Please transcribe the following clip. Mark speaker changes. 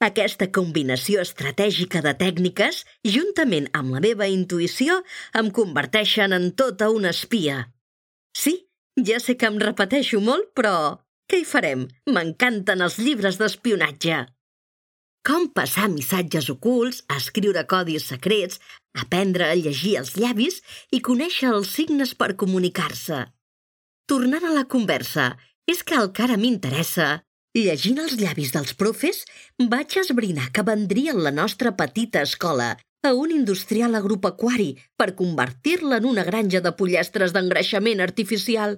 Speaker 1: Aquesta combinació estratègica de tècniques, juntament amb la meva intuïció, em converteixen en tota una espia. Sí, ja sé que em repeteixo molt, però què hi farem? M'encanten els llibres d'espionatge. Com passar missatges ocults, escriure codis secrets, aprendre a llegir els llavis i conèixer els signes per comunicar-se. Tornant a la conversa, és que el que ara m'interessa, llegint els llavis dels profes, vaig esbrinar que vendrien la nostra petita escola a un industrial agropecuari per convertir-la en una granja de pollastres d'engreixament artificial.